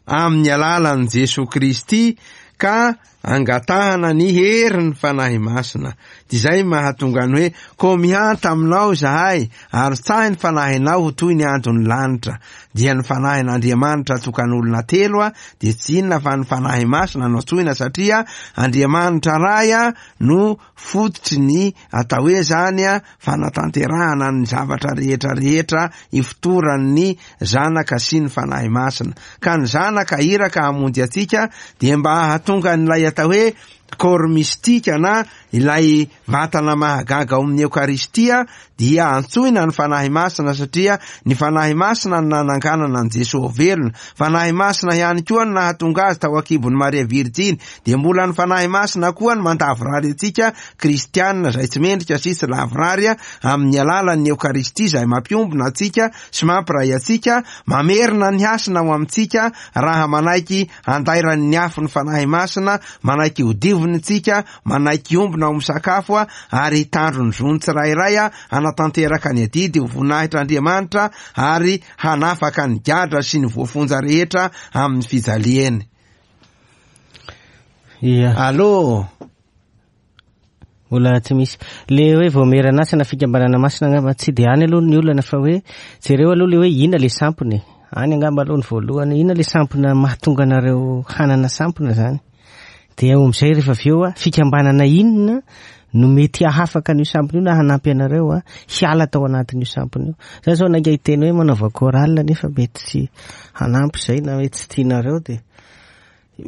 amin'ny alalan'i Jesoa Kristy ka angatahana ny herin'ny Fanahy Masina. Dia izay mahatonga ny hoe ko mihanta aminao izahay ary tsahy ny fanahinao ho toy ny andon'ny lanitra. Dia ny fanahin'Andriamanitra tokan'olona telo a, dia tsy inona fa ny Fanahy Masina no antsoina satria Andriamanitra Ray a no fototry ny atao hoe zany a fanatanterahana ny zavatra rehetra rehetra ifotoran'ny Zanaka sy ny Fanahy Masina. Ka ny Zanaka iraka hamonjy antsika dia mba hahatonga an'ilay atao hoe corps mystique na ilay vatana mahagaga ao amin'ny Eokaristia dia antsoina ny Fanahy Masina satria ny Fanahy Masina no nananganana an'i Jesoa velona. Fanahy Masina ihany koa no nahatonga azy tao an-kibon'i Maria Virjiny. Dia mbola ny Fanahy Masina koa no mandavorary antsika kristianina izay tsy mendrika sy tsy lavorary amin'ny alalan'ny Eokaristia izay mampiombona antsika sy mampiray antsika, mamerina ny hasina ao amintsika raha manaiky andairan'ny afon'ny Fanahy Masina, manaiky hodiviny tsika, manaiky ombona ao amin'ny sakafo a, ary hitandro ny zony tsirairay a, hanatanteraka ny adidy ho voninahitr'Andriamanitra ary hanafaka ny gadra sy ny voafonja rehetra amin'ny fijaliany. Ia. Allô? Mbola tsy misy. Le hoe voamerana na fikambanana masina angamba tsy de any aloha ny olana fa hoe jereo aloha le hoe inona le sampona e. Any angamba aloha ny voalohany, inona le sampona mahatonga anareo hanana sampona zany. Dia eo amin'izay rehefa avy eo a, fikambanana inona no mety hahafaka an'io sampona io na hanampy anareo a hiala tao anatin'io sampona io. Za zao nainga hiteny hoe manaova chorale nefa mety tsy hanampy izay na mety tsy tianareo dia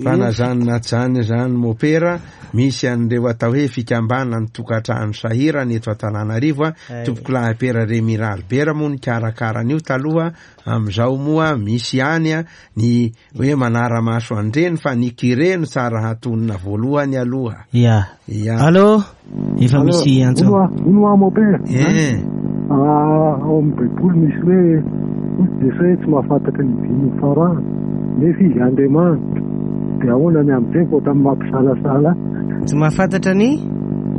Fa na zany na zany zany mopera, misy an'ireo atao hoe fikambanana ny tokantrano sahirana eto Antananarivo a, Ay. tompokolahy Pera Remy Ralibera moa nikarakara an'io taloha, amin'izao moa misy ihany a ny hoe manara-maso an'ireny fa ny curé no tsara hatonina voalohany aloha. Ia. Ia. Allô? Efa misy antso. Hono aho mopera. Eh. Ah, ao amin'ny Baiboly misy hoe hoy Jesoa hoe tsy mahafantatra ny dimy farany nefa izy Andriamanitra. Dia ahoana ny amin'izay vao tamin'ny mampisalasala Tsy mahafantatra ny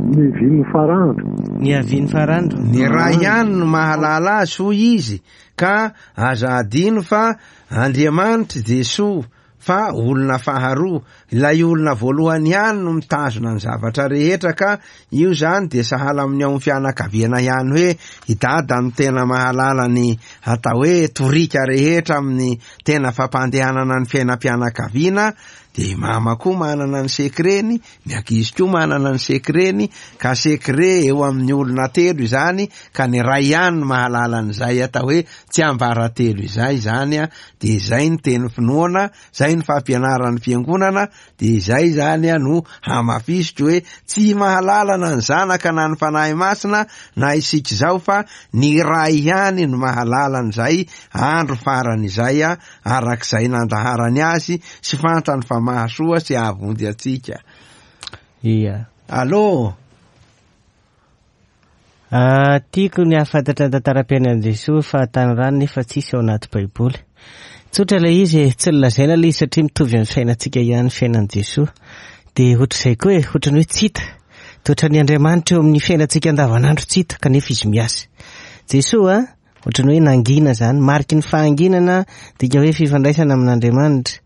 ny vin'ny farandro. Ny avian'ny farandro. Ny Ray ihany no mahalala azy hoy izy, ka aza adino fa Andriamanitra Jesoa fa olona faharoa, ilay olona voalohany ihany no mitazona ny zavatra rehetra ka io zany dia sahala amin'ny ao amin'ny fianakaviana ihany hoe i dada no tena mahalala ny atao hoe torika rehetra amin'ny tena fampandehanana ny fiainam-pianakaviana, dia i mama koa manana ny sekreny, ny ankizy koa manana ny sekreny, ka sekre eo amin'ny olona telo izany, ka ny ray ihany no mahalala an'izay atao hoe tsiambaratelo izay zany a, dia izay ny teny finoana, izay ny fampianaran'ny fiangonana, dia izay zany a no hamafisiko hoe tsy mahalala na ny Zanaka na ny Fanahy Masina na isika izao fa ny Ray ihany no mahalala an'izay andro farany izay a, arak'izay nandaharany azy sy fantany fa mahasoa sy hahavonjy antsika. Ia. Allô? Ah, tiako ny hahafantatra ny tantaram-piainan'i Jesoa fa tany rano nefa tsisy ao anaty Baiboly. Tsotra ilay izy e, tsy nolazaina ilay izy satria mitovy amin'ny fiainantsika ihany fiainan'i Jesoa. Dia ohatr'izay koa e, ohatran'ny hoe tsy hita. Dia ohatran'ny Andriamanitra eo amin'ny fiainantsika andavanandro tsy hita kanefa izy miasa. Jesoa a, ohatran'ny hoe nangina zany, mariky ny fahanginana dika hoe fifandraisana amin'Andriamanitra.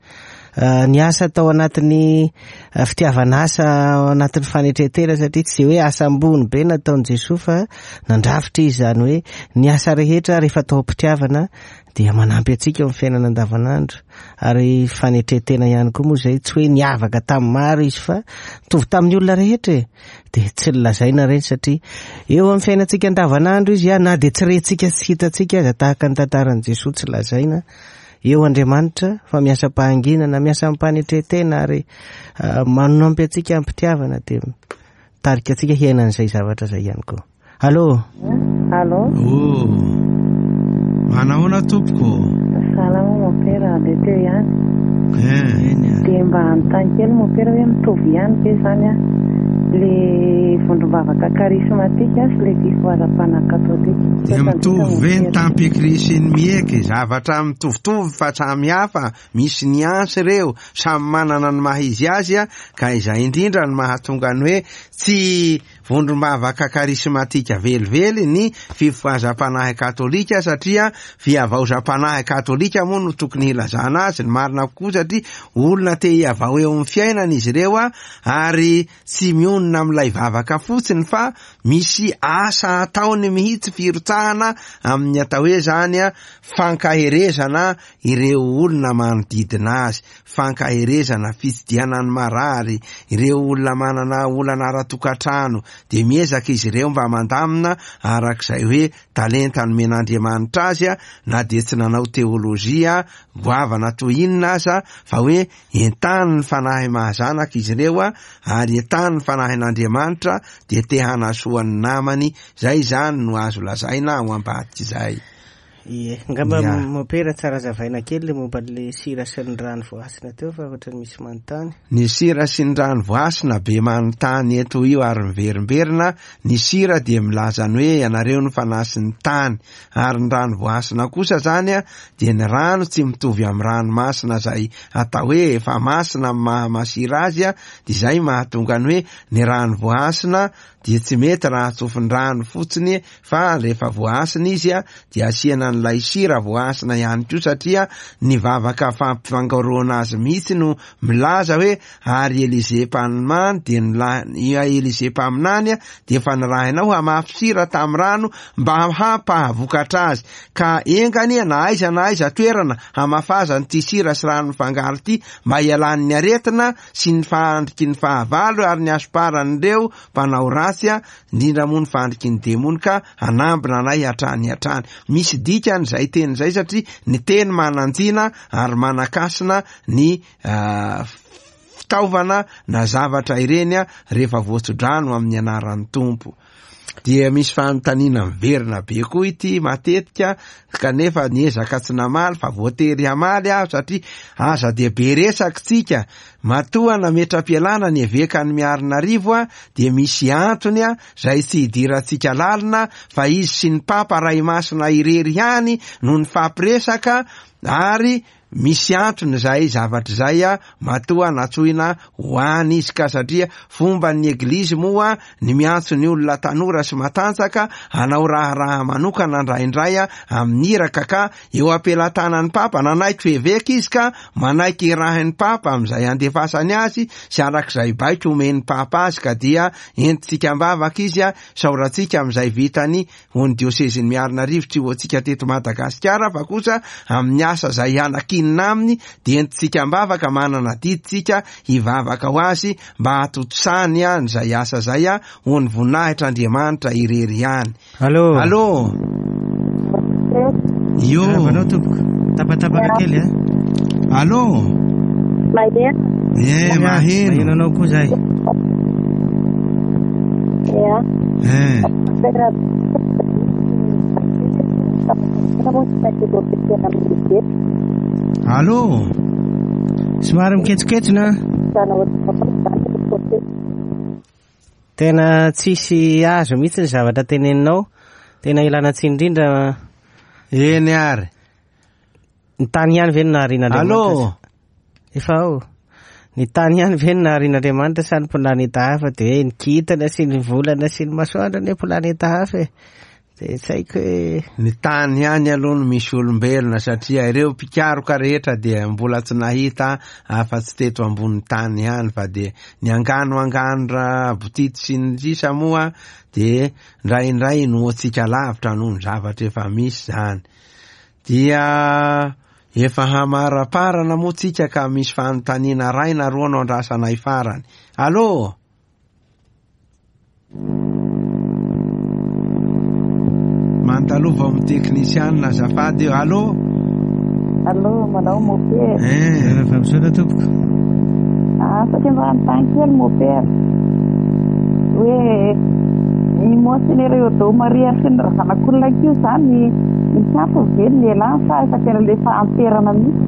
Niasa tao anatin'ny fitiavana asa, ao anatin'ny fanetren-tena, satria tsy hoe asa ambony be nataon'i Jesoa fa nandrafitra izy, izany hoe ny asa rehetra rehefa atao am-pitiavana dia manampy antsika eo amin'ny fiainana andavanandro. Ary fanetren-tena ihany koa moa izay, tsy hoe niavaka tamin'ny maro izy fa mitovy tamin'ny olona rehetra e. Dia tsy nolazaina ireny satria eo amin'ny fiainantsika andavanandro izy, na dia tsy rentsika sy hitantsika aza, tahaka ny tantaran'i Jesoa tsy lazaina eo Andriamanitra fa miasa am-pahanginana, miasa am-panetren-tena ary manampy antsika am-pitiavana, dia mitarika antsika hiaina an'izay zavatra izay ihany koa. Allô? Allô? Oh. Manahoana tompoko? Salama mopera, andeha teo ihany. Eh. Dia mba hanontany kely mopera hoe mitovy ihany ve zany a le vondrom-bavaka karismatika sy le fifohazam-panahy katolika? Dia mitovy ve ny tampikri sy ny mieky? Zavatra mitovitovy fa samy hafa, misy niansy ireo, samy manana ny maha izy azy a, ka izay indrindra no mahatonga ny hoe tsy vondrom-bavaka karismatika velively ny fifohazam-panahy katolika, satria fihavaozam-panahy katolika moa no tokony hilazana azy, ny marina kokoa, satria olona te hihavao eo amin'ny fiainana izy ireo a, ary tsy mionona amin'ilay vavaka fotsiny fa misy asa ataony mihitsy, firotsahana amin'ny atao hoe zany a fankaherezana ireo olona manodidina azy, fankaherezana, fitsidiana ny marary, ireo olona manana olana ara-tokantrano, dia miezaka izy ireo mba mandamina arak'izay hoe talenta nomen'Andriamanitra azy a, na dia tsy nanao teolojia goavana toy inona aza, fa hoe entanin'ny fanahy mahazanaka izy ireo a, ary entanin'ny fanahin'Andriamanitra dia te hanasoa ny namany. Zay zany no azo lazaina ao ambadika izay. Ie, ngamba mopera tsara zavaina kely le momba le sira sy ny rano voasina teo, fa ohatran'ny misy manontany. Ny sira sy ny rano voasina be manontany eto io ary miverimberina. Ny sira dia milaza ny hoe ianareo no fanasin'ny tany, ary ny rano voasina kosa zany a dia ny rano tsy mitovy amin'ny ranomasina izay atao hoe efa masina amin'ny maha masira azy a, dia izay mahatonga ny hoe ny rano voasina dia tsy mety raha tsofin-drano fotsiny, fa rehefa voasina izy a dia asiana an'ilay sira voasina ihany koa, satria ny vavaka fampifangoroana azy mihitsy no milaza hoe ary Elize mpaminany dia nila- Elize mpaminany a dia efa nirahinao hamafy sira tamin'ny rano mba hampahavokatra azy, ka enga anie na aiza na aiza toerana hamafazany ity sira sy rano mifangaro ity mba hialan'ny aretina sy ny fandriky ny fahavalo ary ny hasoparan'ireo mpanao ratsy a, indrindra moa ny fandriky ny demony, ka hanambina anay hatrany hatrany. Misy dikany izay teny izay, satria ny teny manan-jina ary manakasina ny fitaovana na zavatra ireny a rehefa voatsodrano amin'ny anaran'ny Tompo. Dia misy fanontaniana miverina be koa ity matetika, kanefa niezaka tsy namaly fa voatery hamaly aho, satria aza dia be resaka tsika. Matoa nametra-pialana ny evekan'ny Miarinarivo a, dia misy antony a izay tsy hidirantsika lalina, fa izy sy ny Papa Ray Masina irery ihany no nifampiresaka, ary misy antony izay zavatra izay a matoa natsoina ho any izy, ka satria fomba ny eglizy moa ny miantso ny olona tanora sy matanjaka hanao raharaha manokana indraindray a amin'ny iraka, ka eo am-pelatanan'ny Papa nanaiky eveka izy, ka manaiky irahin'ny Papa amin'izay andefasany azy sy arak'izay baiko omen'ny Papa azy, ka dia entintsika am-bavaka izy a, saorantsika amin'izay vitany ho ny diosezin'ny Miarinarivo, tsy ho antsika teto Madagasikara fa kosa amin'ny asa izay hanakinina aminy, dia entintsika am-bavaka, manana adidintsika hivavaka ho azy mba hahatontosany a izay asa izay a ho ny voninahitr'Andriamanitra irery ihany. Allô? Allô? Io. Anao tompoko, tapatapaka kely a. Allô? Maheno. Eh, maheno. Maheno anao koa zay. Ya. Eh. Allô? Somary miketsoketsona. Tena tsisy azo mihitsy ny zavatra teneninao. Tena ilana tsiny indrindra. Eny ary. Ny tany ihany ve no naharian'Andriamanitra? Allô? Efa ao. Ny tany ihany ve no naharian'Andriamanitra sa ny planeta hafa? Dia hoe ny kintana sy ny volana sy ny masoandro ny planeta hafa e. De tsy haiko hoe Ny tany ihany aloha no misy olombelona, satria ireo mpikaroka rehetra dia mbola tsy nahita afa-tsy teto ambony tany ihany, fa de ny angano angano raha botity sy ny sisa moa de indraindray inoantsika lavitra noho ny zavatra efa misy zany. Dia efa hamaraparana moa tsika ka misy fanontaniana ray na roa no andrasanay farany. Allô? Mandalova amin'ny teknisianina azafady eo. Allô? Allô, manao mopera. Eh, Rehefa misaotra tompoko. Afaka mba hanontany kely mopera. Hoe ny Monseigneur Eodo Maria sy ny Razanakolona io zany misy antony ve ny elany sa efa tena le efa amperana mihitsy?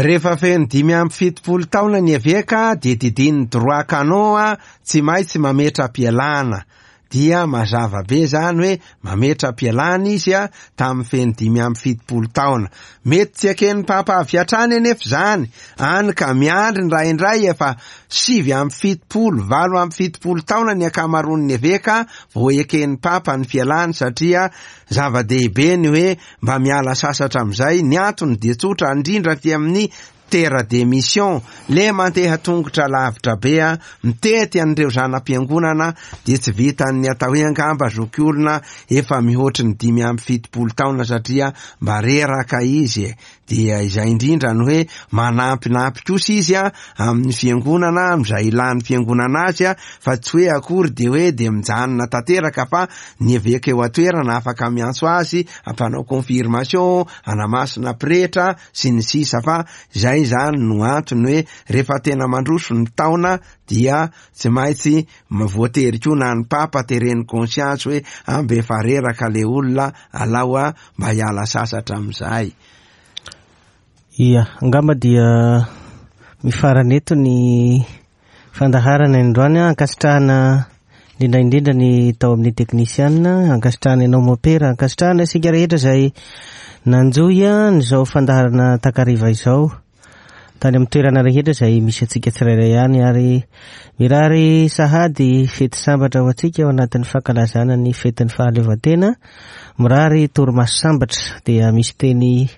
Rehefa feno dimy amby fitopolo taona ny eveka dia didin'ny droit canon a, tsy maintsy mametra-pialana. Dia mazava be zany hoe mametra-pialana izy a tamin'ny feno dimy amby fitopolo taona. Mety tsy eken'ny papa avy hatrany anefa zany, any ka miandry indraindray efa sivy amby fitopolo, valo amby fitopolo taona ny ankamaroan'ny eveka vao eken'ny papa ny fialany, satria zava-dehibe ny hoe mba miala sasatra amin'izay. Ny antony dia tsotra indrindra aty amin'ny terre de mission, le mandeha tongotra lavitra be a, mitety an'ireo zana-piangonana, dia tsy vitan'ny atao hoe angamba zoky olona efa mihoatry ny dimy amby fitopolo taona satria mba reraka izy e. Dia izay indrindra no hoe manampinampy kosa izy a amin'ny fiangonana, amin'izay ilan'ny fiangonana azy a, fa tsy hoe akory de hoe de mijanona tanteraka, fa ny eveka eo an-toerana afaka miantso azy ampanao confirmation, anamasina pretra sy ny sisa. Fa izay zany no antony hoe rehefa tena mandroso ny taona dia tsy maintsy voatery koa na ny papa tereny conscience hoe ambe efa reraka le olona, alao a mba hiala sasatra amin'izay. Ia, angamba dia mifarana eto ny fandaharana androany. Ankasitrahana indrindra indrindra ny tao amin'ny teknisianina, ankasitrahana ianao mopera, ankasitrahana isika rehetra izay nanjohy an'izao fandaharana takariva izao tany amin'ny toerana rehetra izay misy antsika tsirairay ihany, ary mirary sahady fety sambatra ho antsika ao anatin'ny fankalazana ny fetin'ny fahaleovantena, mirary torimaso sambatra. Dia misy teny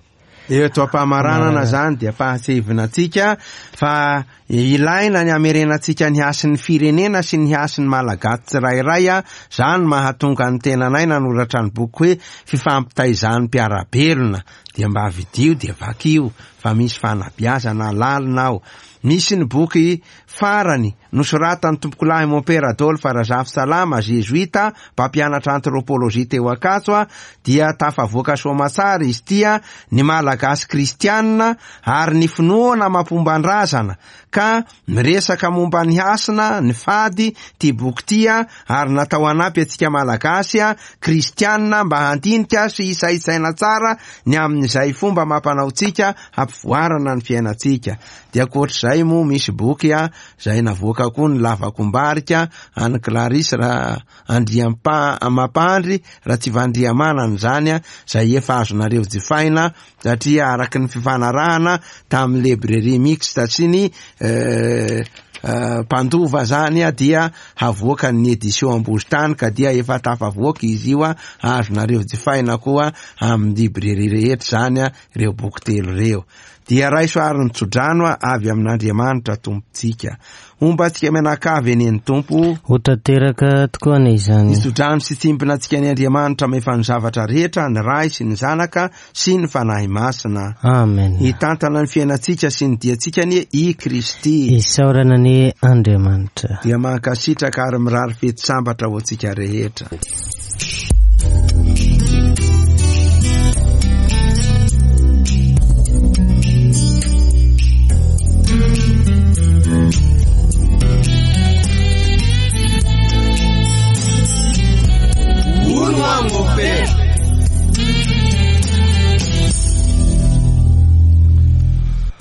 eto am-pamaranana zany dia fahatsevina antsika fa ilaina ny hamerenantsika ny hasin'ny firenena sy ny hasin'ny Malagasy tsirairay a. Zany mahatonga ny tenanay nanoratra ny boky hoe fifampitaizan'ny mpiara-belona, dia mba vidio dia vakio fa misy fanabeazana lalina ao. Misy ny boky farany nosoratan'ny tompokolahy Mompera Adolphe Razafisalama, jesuita mpampianatra anthropologie teo Ankatso a, dia tafavoaka soamatsara izy ity a, ny Malagasy kristianina ary ny finoana mampomban-drazana, ka miresaka momba ny hasina, ny fady ty boky ty a, ary natao hanampy antsika Malagasy a kristianina mba handinika sy hisaintsaina tsara ny amin'izay fomba mampanaontsika hampivoarana ny fiainantsika. Dia ankoatr'izay moa misy boky a zay navoaka koa ny Lavakombarika an'i Clarisse raha Andriampa Mampandry raha tsy Vandriamanana zany a, zay efa azonareo jifaina satria araky ny fifanarahana tamin'ny librairie mixte sy ny eh, eh, mpandova zany a, dia havoaka ny édition Ambozitany, ka dia efa tafavoaka izy io a, azonareo jifaina koa amin'ny librairie rehetra zany a ireo boky telo ireo. Dia raiso ary ny tsodrano a avy amin'Andriamanitra Tompontsika. Homba antsika mianakavy eny ny Tompo. Ho tanteraka tokoa anie izany. Ny tsodrano sy tsimpona antsika ny Andriamanitra mahefa ny zavatra rehetra, ny Ray sy ny Zanaka sy ny Fanahy Masina. Amen. Hitantana ny fiainantsika sy ny diantsika anie i Kristy. Isaorana anie Andriamanitra. Dia mankasitraka ary mirary fety sambatra ho antsika rehetra.